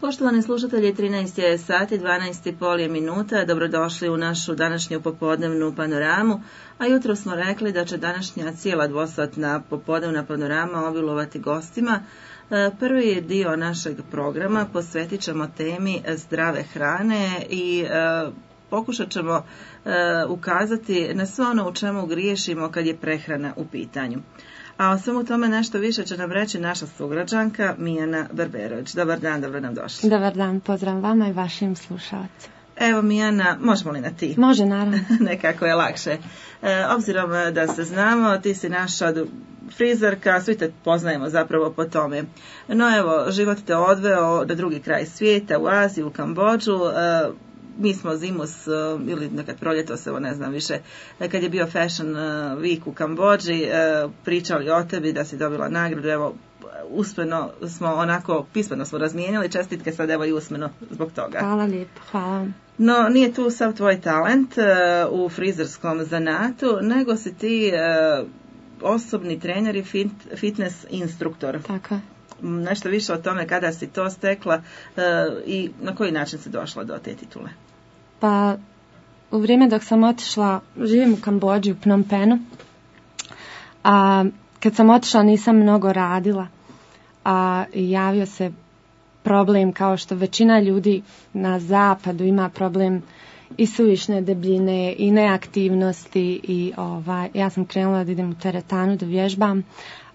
Poštovani slušatelji, 13 je sati, 12,5 je minuta. Dobrodošli u našu današnju popodnevnu panoramu. A jutro smo rekli da će današnja cijela dvosatna popodnevna panorama obilovati gostima. Prvi dio našeg programa posvetit ćemo temi zdrave hrane i pokušat ćemo ukazati na sve ono u čemu griješimo kad je prehrana u pitanju. A o svemu tome nešto više će nam reći naša sugrađanka Mijana Berberović. Dobar dan, dobro nam došli. Dobar dan, pozdrav vama i vašim slušalcima. Evo Mijana, možemo li na ti? Može, naravno. Nekako je lakše. Obzirom da se znamo, ti si naša frizerka, svi te poznajemo zapravo po tome. No evo, život te odveo na drugi kraj svijeta, u Aziju, u Kambodžu. Mi smo zimus ili nekad proljetos, evo ne znam više, kad je bio Fashion Week u Kambodži, pričali o tebi da si dobila nagradu, evo usmeno smo onako, pismeno smo razmijenili, čestitke sad evo i usmeno zbog toga. Hvala lijepo, hvala. No nije tu sav tvoj talent u frizerskom zanatu, nego si ti osobni trener i fitness instruktor. Tako je. Nešto više o tome kada si to stekla i na koji način si došla do te titule? Pa u vrijeme dok sam otišla, živim u Kambodži, u Phnom Penhu, a kad sam otišla nisam mnogo radila, a javio se problem kao što većina ljudi na zapadu ima problem i suvišne debljine i neaktivnosti i ja sam krenula da idem u teretanu da vježbam.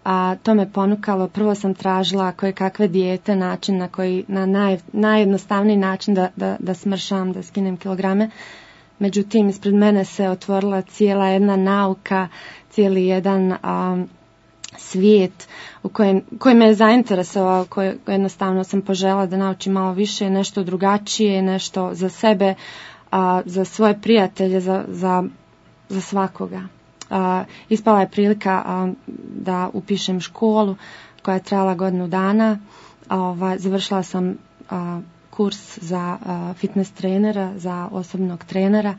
A to me ponukalo, prvo sam tražila koje kakve dijete, način na koji, na najjednostavniji način da smršam, da skinem kilograme. Međutim, ispred mene se otvorila cijela jedna nauka, cijeli jedan svijet koji me je zainteresovao, koji jednostavno sam poželjela da naučim malo više, nešto drugačije, nešto za sebe, za svoje prijatelje, za svakoga. Ispala je prilika da upišem školu koja je trajala godinu dana. Završila sam kurs za fitness trenera, za osobnog trenera.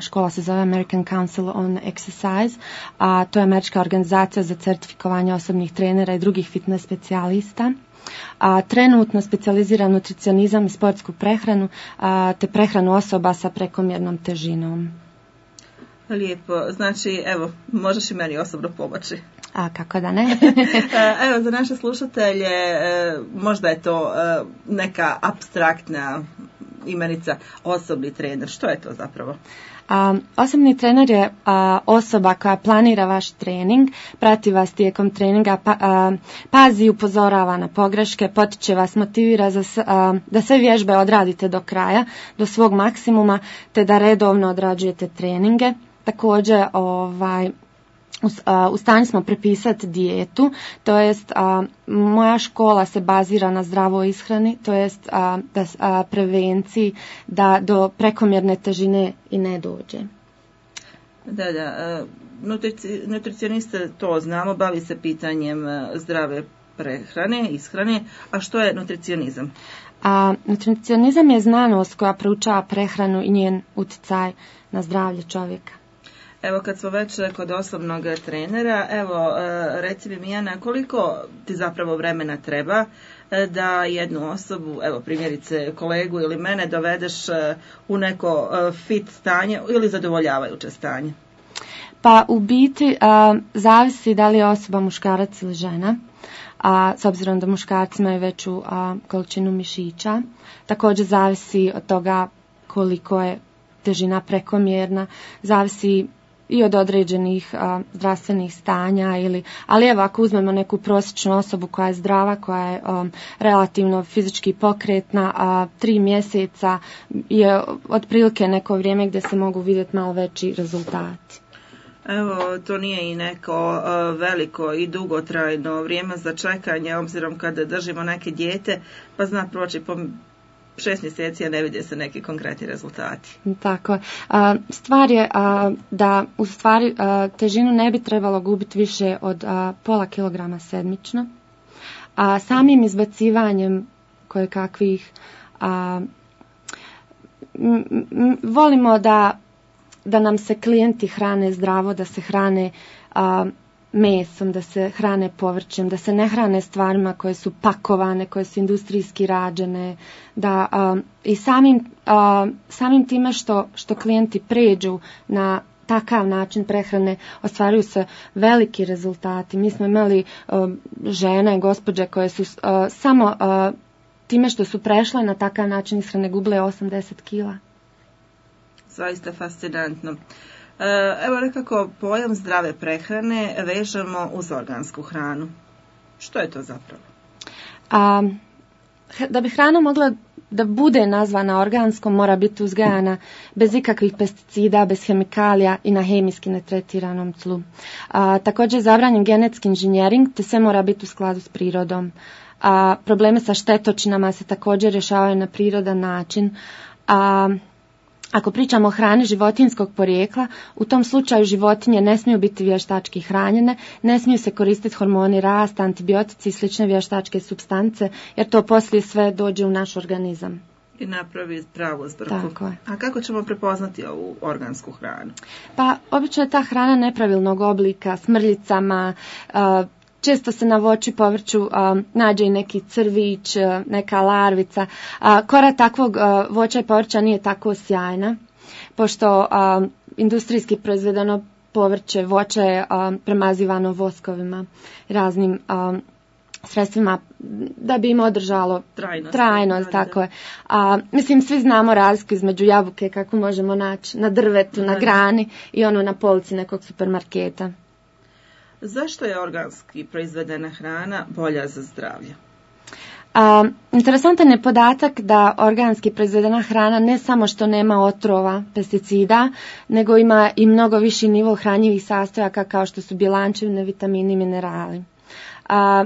Škola se zove American Council on Exercise, a to je američka organizacija za certifikovanje osobnih trenera i drugih fitness specijalista. Trenutno specijaliziram nutricionizam i sportsku prehranu, te prehranu osoba sa prekomjernom težinom. Lijepo, znači evo, možeš i meni osobno pomoći. A kako da ne? Evo, za naše slušatelje možda je to neka apstraktna imenica osobni trener. Što je to zapravo? Osobni trener je osoba koja planira vaš trening, prati vas tijekom treninga, pazi i upozorava na pogreške, potiče vas, motivira da sve vježbe odradite do kraja, do svog maksimuma, te da redovno odrađujete treninge. Također, u stanju smo prepisati dijetu, to jest moja škola se bazira na zdravoj ishrani, to jest prevenciji da do prekomjerne težine i ne dođe. Da, nutricionista to znamo, bavi se pitanjem zdrave prehrane, ishrane, a što je nutricionizam? Nutricionizam je znanost koja proučava prehranu i njen utjecaj na zdravlje čovjeka. Evo kad smo već kod osobnog trenera, evo reci mi Mijana, koliko ti zapravo vremena treba da jednu osobu, evo primjerice kolegu ili mene, dovedeš u neko fit stanje ili zadovoljavajuće stanje? Pa u biti zavisi da li je osoba muškarac ili žena, s obzirom da muškarci imaju veću količinu mišića. Također zavisi od toga koliko je težina prekomjerna, zavisi i od određenih zdravstvenih stanja, ali evo ako uzmemo neku prosječnu osobu koja je zdrava, koja je relativno fizički pokretna, 3 mjeseca je otprilike neko vrijeme gdje se mogu vidjeti malo veći rezultati. Evo, to nije i neko veliko i dugotrajno vrijeme za čekanje, obzirom kada držimo neke dijete, pa zna proći po 6 mjeseci, a ne vide se neki konkretni rezultati. Tako. Stvar je da u stvari težinu ne bi trebalo gubiti više od pola kilograma sedmično. Samim izbacivanjem kojekakvih volimo da nam se klijenti hrane zdravo, da se hrane mesom, da se hrane povrćem, da se ne hrane stvarima koje su pakovane, koje su industrijski rađene, da i samim time što klijenti pređu na takav način prehrane ostvaruju se veliki rezultati. Mi smo imali žene, gospođe koje su samo time što su prešle na takav način ishrane gubile 80 kila. Zaista fascinantno. Evo nekako pojam zdrave prehrane vežemo uz organsku hranu. Što je to zapravo? Da bi hrana mogla da bude nazvana organskom, mora biti uzgajana bez ikakvih pesticida, bez hemikalija i na hemijski netretiranom tlu. Također je zabranjen genetski inženjering, te sve mora biti u skladu s prirodom. Probleme sa štetočinama se također rješavaju na prirodan način. Ako pričamo o hrani životinjskog porijekla, u tom slučaju životinje ne smiju biti vještački hranjene, ne smiju se koristiti hormoni rasta, antibiotici i slične vještačke supstance, jer to poslije sve dođe u naš organizam. I napravi pravu zbrku. Tako je. A kako ćemo prepoznati ovu organsku hranu? Pa, obično je ta hrana nepravilnog oblika, smrljicama, često se na voću i povrću nađe i neki crvić, neka larvica. Kora takvog voća i povrća nije tako sjajna, pošto industrijski proizvedeno povrće, voće je premazivano voskovima, raznim sredstvima da bi im održalo trajnost. Tako je. Mislim, svi znamo razliku između jabuke kako možemo naći na drvetu, na grani i ono na polici nekog supermarketa. Zašto je organski proizvedena hrana bolja za zdravlje? Interesantan je podatak da organski proizvedena hrana ne samo što nema otrova, pesticida, nego ima i mnogo viši nivo hranjivih sastojaka kao što su bjelančevine, vitamini i minerali.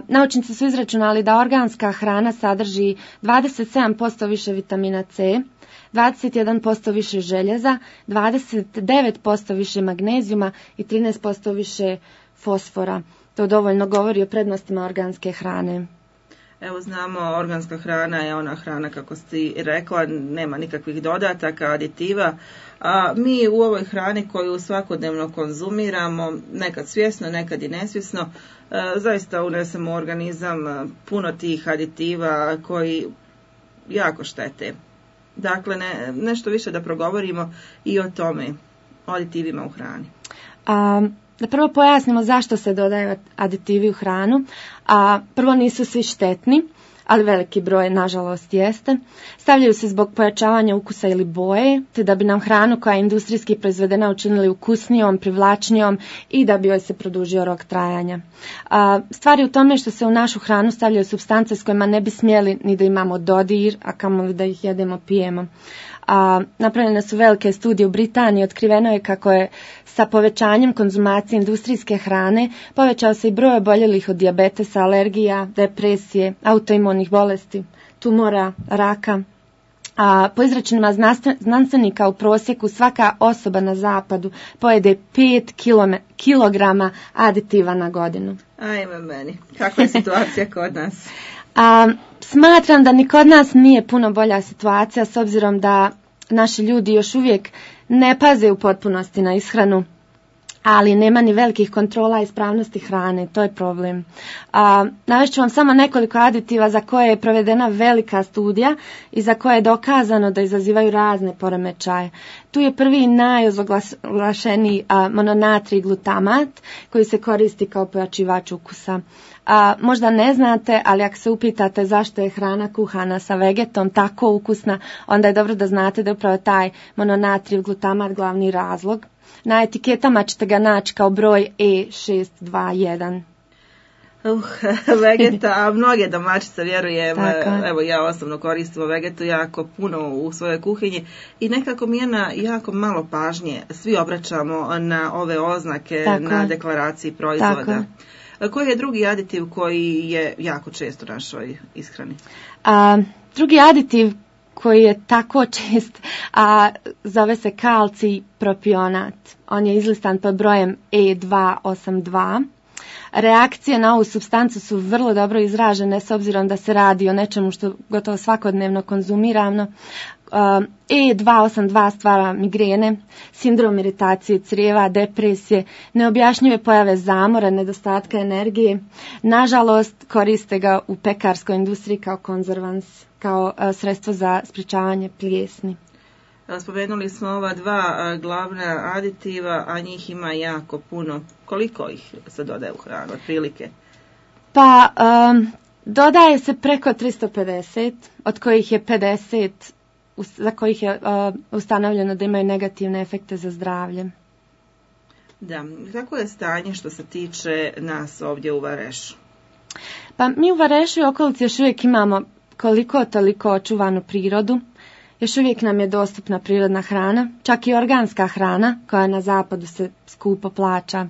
Naučnici su izračunali da organska hrana sadrži 27% više vitamina C, 21% više željeza, 29% više magnezijuma i 13% više fosfora. To dovoljno govori o prednostima organske hrane. Evo znamo, organska hrana je ona hrana, kako si rekla, nema nikakvih dodataka, aditiva, a mi u ovoj hrani koju svakodnevno konzumiramo, nekad svjesno, nekad i nesvjesno, zaista unesemo u organizam puno tih aditiva koji jako štete. Dakle, nešto više da progovorimo i o tome, o aditivima u hrani. Da prvo pojasnimo zašto se dodaju aditivi u hranu. Prvo, nisu svi štetni, ali veliki broj nažalost jeste. Stavljaju se zbog pojačavanja ukusa ili boje, te da bi nam hranu koja je industrijski proizvedena učinili ukusnijom, privlačnijom i da bi joj se produžio rok trajanja. Stvar je u tome što se u našu hranu stavljaju supstance s kojima ne bi smjeli ni da imamo dodir, a kamoli da ih jedemo, pijemo. Napravljene su velike studije u Britaniji, otkriveno je kako je sa povećanjem konzumacije industrijske hrane povećao se i broj oboljelih od dijabetesa, alergija, depresije, autoimunih bolesti, tumora, raka. Po izračunima znanstvenika u prosjeku svaka osoba na zapadu pojede 5 kilograma aditiva na godinu. Ajme meni, kakva je situacija kod nas? Smatram da ni kod nas nije puno bolja situacija, s obzirom da naši ljudi još uvijek ne paze u potpunosti na ishranu, ali nema ni velikih kontrola ispravnosti hrane, to je problem. Navest ću vam samo nekoliko aditiva za koje je provedena velika studija i za koje je dokazano da izazivaju razne poremećaje. Tu je prvi najozoglašeniji mononatrij glutamat koji se koristi kao pojačivač ukusa. Možda ne znate, ali ako se upitate zašto je hrana kuhana sa vegetom tako ukusna, onda je dobro da znate da je upravo taj mononatrijev glutamat glavni razlog. Na etiketama ćete ga naći kao broj E621. Vegeta, a mnoge domaćice, vjerujem, evo ja osobno koristim vegetu jako puno u svojoj kuhinji i nekako mi je na jako malo pažnje svi obraćamo na ove oznake na deklaraciji proizvoda. Koji je drugi aditiv koji je jako čest u našoj ishrani? Drugi aditiv koji je tako čest, zove se kalcij propionat. On je izlistan pod brojem E282. Reakcije na ovu supstancu su vrlo dobro izražene s obzirom da se radi o nečemu što gotovo svakodnevno konzumiramo. E282 stvara migrene, sindrom iritacije crijeva, depresije, neobjašnjive pojave zamora, nedostatka energije. Nažalost, koriste ga u pekarskoj industriji kao konzervans, kao sredstvo za sprječavanje plijesni. Spomenuli smo ova dva glavna aditiva, a njih ima jako puno. Koliko ih se dodaje u hranu, otprilike? Pa, dodaje se preko 350, od kojih je 50 za kojih je ustanovljeno da imaju negativne efekte za zdravlje. Da, kako je stanje što se tiče nas ovdje u Varešu? Pa mi u Varešu i okolici još uvijek imamo koliko toliko očuvanu prirodu. Još uvijek nam je dostupna prirodna hrana, čak i organska hrana koja na zapadu se skupo plaća.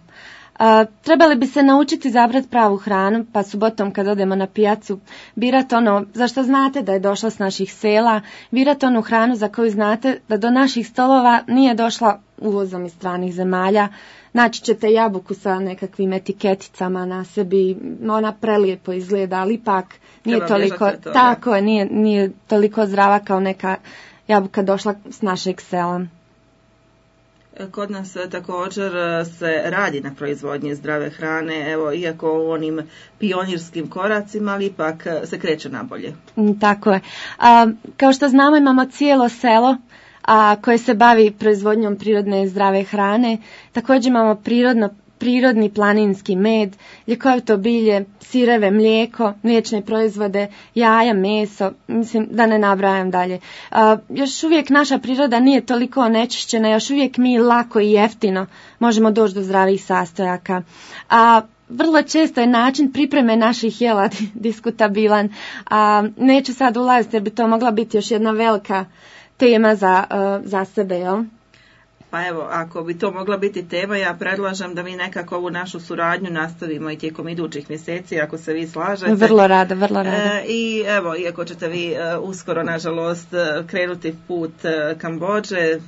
Trebali bi se naučiti izabrati pravu hranu, pa subotom kad odemo na pijacu birati ono za što znate da je došlo s naših sela, birati onu hranu za koju znate da do naših stolova nije došla uvozom iz stranih zemalja. Naći ćete jabuku sa nekakvim etiketicama na sebi, ona prelijepo izgleda, ali ipak nije toliko, tako je, nije toliko zdrava kao neka jabuka došla s našeg sela. Kod nas također se radi na proizvodnji zdrave hrane, evo, iako u onim pionirskim koracima, ali ipak se kreće nabolje. Tako je. Kao što znamo, imamo cijelo selo koje se bavi proizvodnjom prirodne i zdrave hrane. Također imamo prirodni planinski med, ljekovito bilje, sireve, mlijeko, mliječne proizvode, jaja, meso, mislim da ne nabrajam dalje. Još uvijek naša priroda nije toliko onečišćena, još uvijek mi lako i jeftino možemo doći do zdravih sastojaka. Vrlo često je način pripreme naših jela diskutabilan. Neću sad ulaziti jer bi to mogla biti još jedna velika tema za sebe, jel? Pa evo, ako bi to mogla biti tema, ja predlažem da mi nekako ovu našu suradnju nastavimo i tijekom idućih mjeseci, ako se vi slažete. Vrlo rado. I evo, iako ćete vi uskoro, nažalost, krenuti put Kambodže,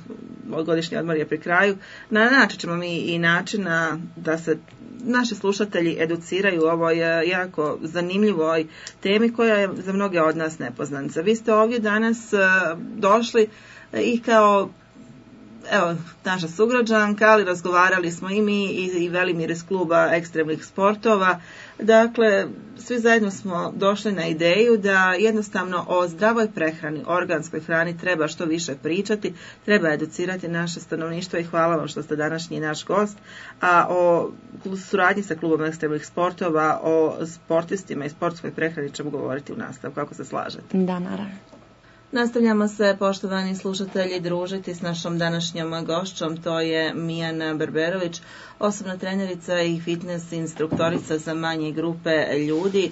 godišnji odmor je pri kraju, naći ćemo mi i načina da se naši slušatelji educiraju o ovoj jako zanimljivoj temi koja je za mnoge od nas nepoznanica. Vi ste ovdje danas došli i kao naša sugrađanka, ali razgovarali smo i mi i Velimir iz kluba ekstremnih sportova. Dakle, svi zajedno smo došli na ideju da jednostavno o zdravoj prehrani, organskoj hrani treba što više pričati, treba educirati naše stanovništvo i hvala vam što ste današnji naš gost. A o suradnji sa klubom ekstremnih sportova, o sportistima i sportskoj prehrani ćemo govoriti u nastavku, kako se slažete. Da, naravno. Nastavljamo se, poštovani slušatelji, družiti s našom današnjom gošćom, to je Mijana Berberović, osobna trenerica i fitness instruktorica za manje grupe ljudi.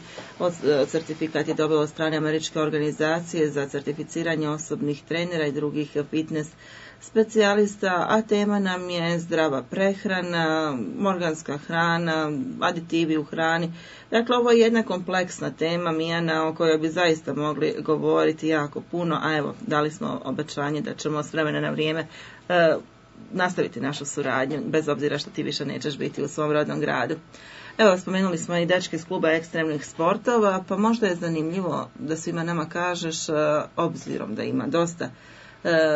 Certifikat je dobila od strane američke organizacije za certificiranje osobnih trenera i drugih fitness specijalista, a tema nam je zdrava prehrana, organska hrana, aditivi u hrani. Dakle, ovo je jedna kompleksna tema, Mijana, o kojoj bi zaista mogli govoriti jako puno, a evo, dali smo obećanje da ćemo s vremena na vrijeme nastaviti našu suradnju, bez obzira što ti više nećeš biti u svom rodnom gradu. Evo, spomenuli smo i dečke iz kluba ekstremnih sportova, pa možda je zanimljivo da svima nama kažeš, obzirom da ima dosta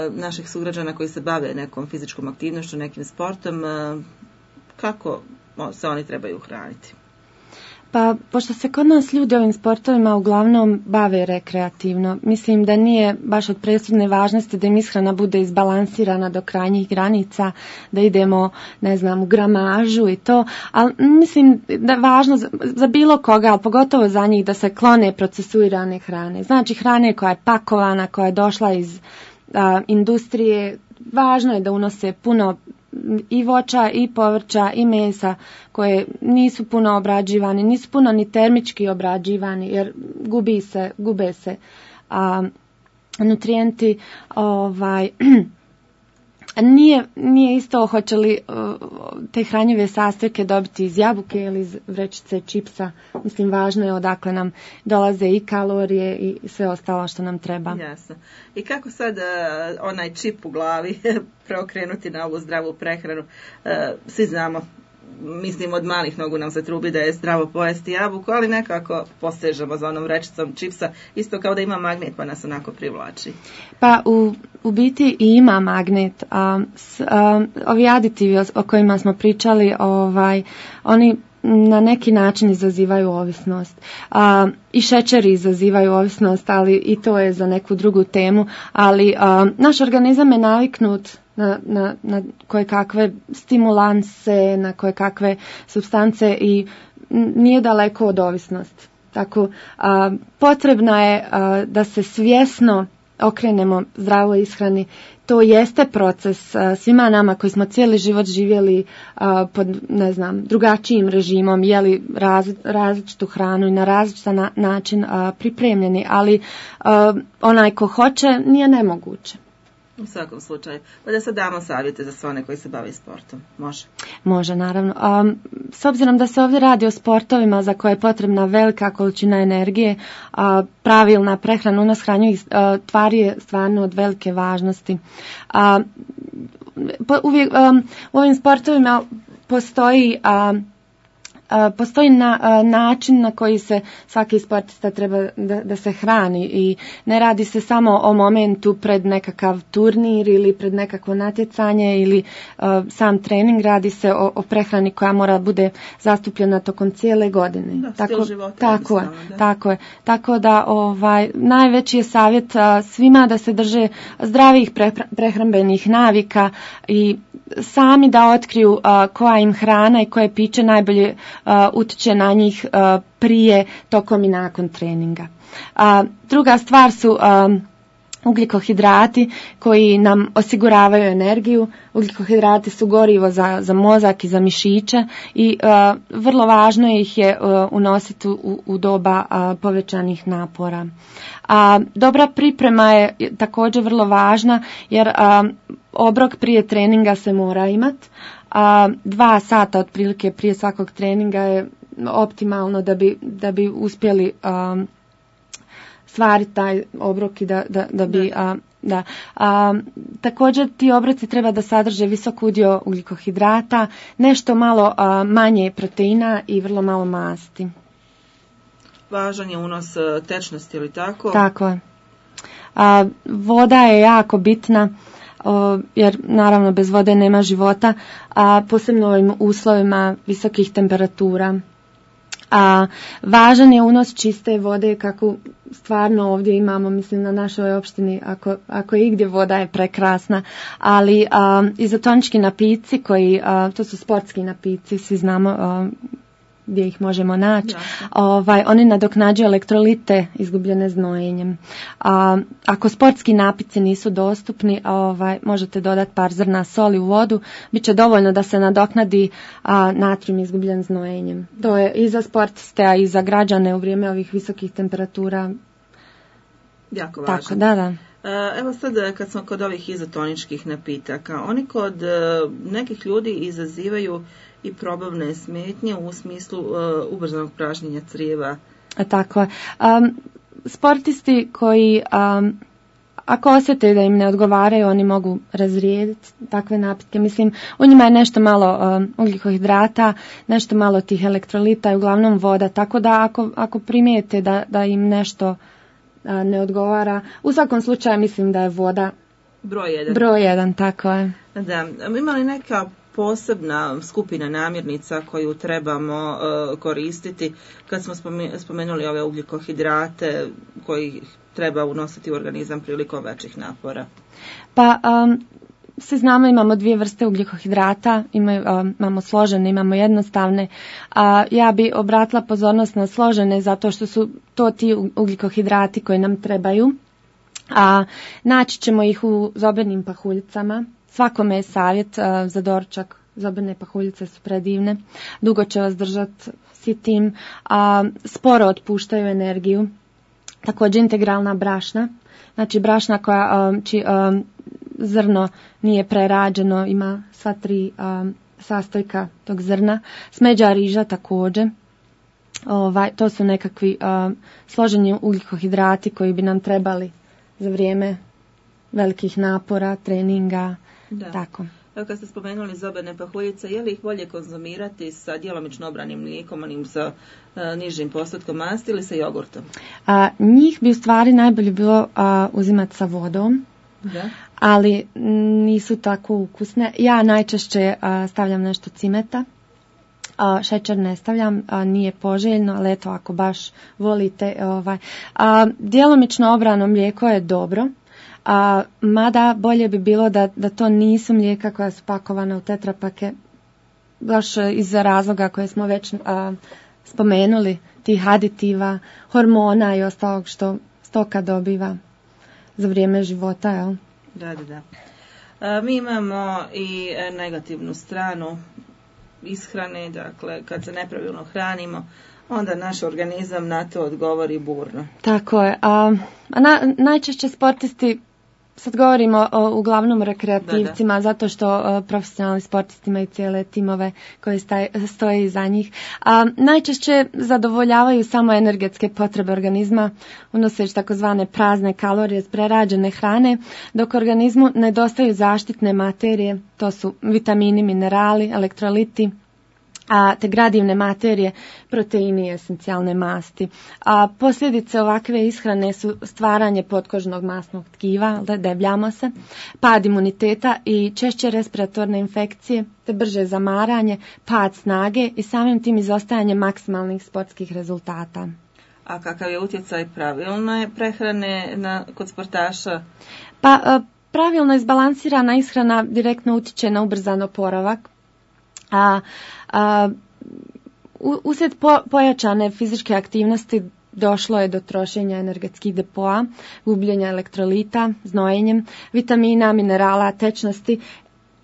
naših sugrađana koji se bave nekom fizičkom aktivnošću, nekim sportom, kako se oni trebaju hraniti? Pa, pošto se kod nas ljudi ovim sportovima uglavnom bave rekreativno, mislim da nije baš od presudne važnosti da im ishrana bude izbalansirana do krajnjih granica, da idemo, u gramažu i to, ali mislim da je važno za bilo koga, ali pogotovo za njih, da se klone procesuirane hrane. Znači hrane koja je pakovana, koja je došla iz industrije, važno je da unose puno i voća i povrća i mesa koje nisu puno obrađivani, nisu puno ni termički obrađivani jer gube se nutrijenti. Nije isto hoće li te hranjive sastojke dobiti iz jabuke ili iz vrećice čipsa. Mislim, važno je odakle nam dolaze i kalorije i sve ostalo što nam treba. Jasno. I kako sad onaj čip u glavi preokrenuti na ovu zdravu prehranu? Svi znamo mislim od malih nogu nam se trubi da je zdravo pojesti jabuku, ali nekako posežemo za onom rečicom čipsa, isto kao da ima magnet pa nas onako privlači. Pa u biti i ima magnet. Ovi aditivi o kojima smo pričali, oni na neki način izazivaju ovisnost. I šećeri izazivaju ovisnost, ali i to je za neku drugu temu. Ali naš organizam je naviknut na koje kakve stimulanse, na koje kakve supstance i nije daleko od ovisnosti. Tako, potrebno je da se svjesno okrenemo zdravoj ishrani. To jeste proces svima nama koji smo cijeli život živjeli pod, drugačijim režimom, jeli različitu hranu i na različitan način pripremljeni, ali onaj ko hoće nije nemoguće. U svakom slučaju. Pa da sad damo savjete za sve one koji se bave sportom. Može? Može, naravno. S obzirom da se ovdje radi o sportovima za koje je potrebna velika količina energije, pravilna prehrana u nas hranjivih tvari je stvarno od velike važnosti. Uvijek u ovim sportovima postoji način na koji se svaki sportista treba da se hrani i ne radi se samo o momentu pred nekakav turnir ili pred nekakvo natjecanje ili sam trening, radi se o prehrani koja mora bude zastupljena tokom cijele godine. Da, stil života. Tako je. Tako da najveći je savjet svima da se drže zdravih prehrambenih navika i sami da otkriju koja im hrana i koje piće najbolje utiče na njih prije, tokom i nakon treninga. Druga stvar su ugljikohidrati koji nam osiguravaju energiju. Ugljikohidrati su gorivo za mozak i za mišiće i vrlo važno ih je unositi u doba povećanih napora. Dobra priprema je također vrlo važna jer obrok prije treninga se mora imati. 2 sata otprilike prije svakog treninga je optimalno da bi uspjeli stvariti taj obrok i da bi također ti obroci treba da sadrže visok udio ugljikohidrata, nešto malo manje proteina i vrlo malo masti. Važan je unos tečnosti, ili tako? Tako je. Voda je jako bitna, jer naravno bez vode nema života, a posebno u ovim uslovima visokih temperatura. Važan je unos čiste vode kako stvarno ovdje imamo, mislim na našoj opštini, ako je igdje voda je prekrasna, ali izotonički napici koji, to su sportski napici, svi znamo gdje ih možemo naći, oni nadoknađuju elektrolite izgubljene znojenjem. Ako sportski napici nisu dostupni, možete dodati par zrna soli u vodu, bit će dovoljno da se nadoknadi natrijum izgubljen znojenjem. To je i za sportiste, a i za građane u vrijeme ovih visokih temperatura jako važno. Tako, da. Evo sad kad smo kod ovih izotoničkih napitaka, oni kod nekih ljudi izazivaju i probavne smetnje u smislu ubrzanog pražnjenja crijeva. Tako je. Sportisti koji ako osjete da im ne odgovaraju, oni mogu razrijediti takve napitke. Mislim, u njima je nešto malo ugljikohidrata, nešto malo tih elektrolita i uglavnom voda. Tako da ako primijete da im nešto ne odgovara, u svakom slučaju mislim da je voda broj 1, tako je. Da, ima li neka posebna skupina namirnica koju trebamo koristiti kad smo spomenuli ove ugljikohidrate koji treba unositi u organizam prilikom većih napora? Pa svi znamo, imamo 2 vrste ugljikohidrata, imamo složene, imamo jednostavne. Ja bi obratila pozornost na složene zato što su to ti ugljikohidrati koji nam trebaju. Naći ćemo ih u zobenim pahuljicama. Svakome je savjet za doručak. Zobene pahuljice su predivne. Dugo će vas držati sitim. Sporo otpuštaju energiju. Također integralna brašna. Znači brašna čiji zrno nije prerađeno, ima sva 3 sastojka tog zrna. Smeđa riža također. To su nekakvi složeni ugljikohidrati koji bi nam trebali za vrijeme velikih napora, treninga, tako. Evo kad ste spomenuli zobene pahuljice, je li ih bolje konzumirati sa djelomično obranim mlijekom, onim sa nižim postotkom masti ili sa jogurtom? Njih bi u stvari najbolje bilo uzimati sa vodom. Da. Ali nisu tako ukusne. Ja najčešće stavljam nešto cimeta. Šećer ne stavljam, nije poželjno, ali eto ako baš volite. Djelomično obrano mlijeko je dobro, mada bolje bi bilo da to nisu mlijeka koja su pakovana u tetrapake, baš iz razloga koje smo već spomenuli, tih aditiva, hormona i ostalog što stoka dobiva za vrijeme života. Jel? Da. Mi imamo i negativnu stranu ishrane, dakle kad se nepravilno hranimo, onda naš organizam na to odgovori burno. Tako je. Najčešće sportisti, sad govorimo uglavnom rekreativcima, zato što profesionalni sportisti imaju cijele timove koji stoje iza njih. Najčešće zadovoljavaju samo energetske potrebe organizma, unoseći takozvane prazne kalorije iz prerađene hrane, dok organizmu nedostaju zaštitne materije, to su vitamini, minerali, elektroliti, te gradivne materije, proteini i esencijalne masti. Posljedice ovakve ishrane su stvaranje potkožnog masnog tkiva, debljamo se, pad imuniteta i češće respiratorne infekcije, te brže zamaranje, pad snage i samim tim izostajanje maksimalnih sportskih rezultata. A kakav je utjecaj pravilne prehrane kod sportaša? Pravilno izbalansirana ishrana direktno utječe na ubrzan oporavak. Uslijed pojačane fizičke aktivnosti došlo je do trošenja energetskih depoa, gubljenja elektrolita, znojenjem, vitamina, minerala, tečnosti,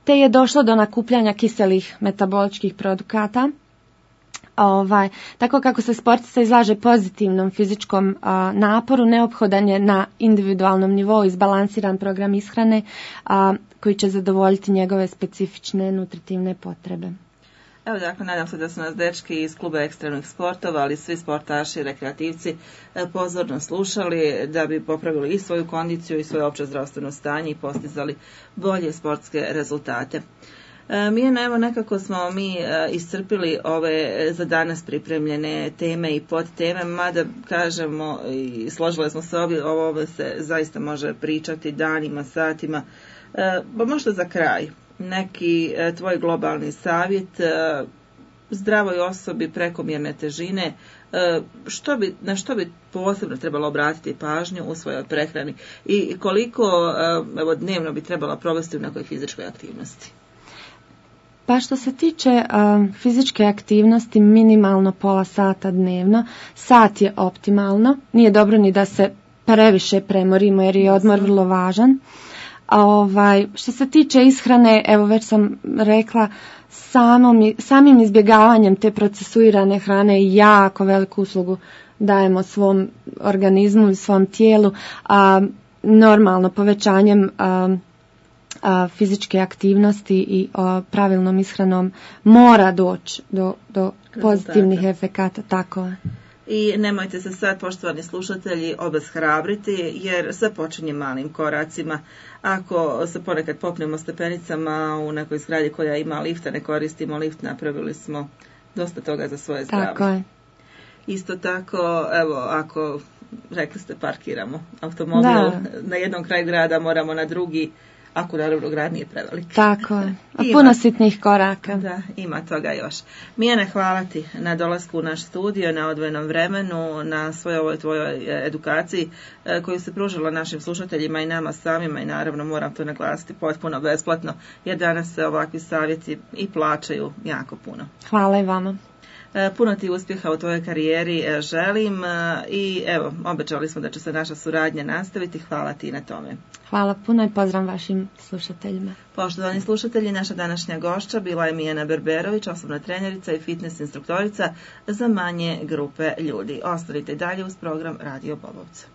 te je došlo do nakupljanja kiselih metaboličkih produkata. Tako kako se sportista izlaže pozitivnom fizičkom naporu, neophodan je na individualnom nivou izbalansiran program ishrane koji će zadovoljiti njegove specifične nutritivne potrebe. Evo dakle, nadam se da su nas dečki iz kluba ekstremnih sportova, ali svi sportaši i rekreativci pozorno slušali da bi popravili i svoju kondiciju i svoje opće zdravstveno stanje i postizali bolje sportske rezultate. Mijena, evo nekako smo mi iscrpili ove za danas pripremljene teme i podteme, mada kažemo i složile smo se ovo se zaista može pričati danima, satima, pa možda za kraj neki tvoj globalni savjet zdravoj osobi prekomjerne težine, na što bi posebno trebalo obratiti pažnju u svojoj prehrani i koliko dnevno bi trebala provesti u nekoj fizičkoj aktivnosti? Pa što se tiče fizičke aktivnosti, minimalno pola sata dnevno, sat je optimalno, nije dobro ni da se previše premorimo jer je odmor vrlo važan. Što se tiče ishrane, evo već sam rekla, samim izbjegavanjem te procesuirane hrane jako veliku uslugu dajemo svom organizmu i svom tijelu, normalno povećanjem fizičke aktivnosti i pravilnom ishranom mora doći do pozitivnih efekata. Tako je. I nemojte se sad, poštovani slušatelji, obeshrabriti, jer sve počinje malim koracima. Ako se ponekad popnemo stepenicama u nekoj zgradi koja ima lifta, ne koristimo lift, napravili smo dosta toga za svoje zdravlje. Tako je. Isto tako, evo, ako, rekli ste, parkiramo automobil na jednom kraju grada, moramo na drugi, ako naravno grad nije prevelik. Tako je. A puno sitnih koraka. Da, ima toga još. Mijene, hvala ti na dolasku u naš studio, na odvojenom vremenu, na svojoj ovoj tvojoj edukaciji koju se pružila našim slušateljima i nama samima i naravno moram to naglasiti potpuno besplatno, jer danas se ovakvi savjeti i plaćaju jako puno. Hvala i vama. Puno ti uspjeha u tvojoj karijeri želim i evo, obećali smo da će se naša suradnja nastaviti. Hvala ti na tome. Hvala puno i pozdrav vašim slušateljima. Poštovani slušatelji, naša današnja gošća bila je Mijena Berberović, osobna trenerica i fitness instruktorica za manje grupe ljudi. Ostanite dalje uz program Radio Bobovca.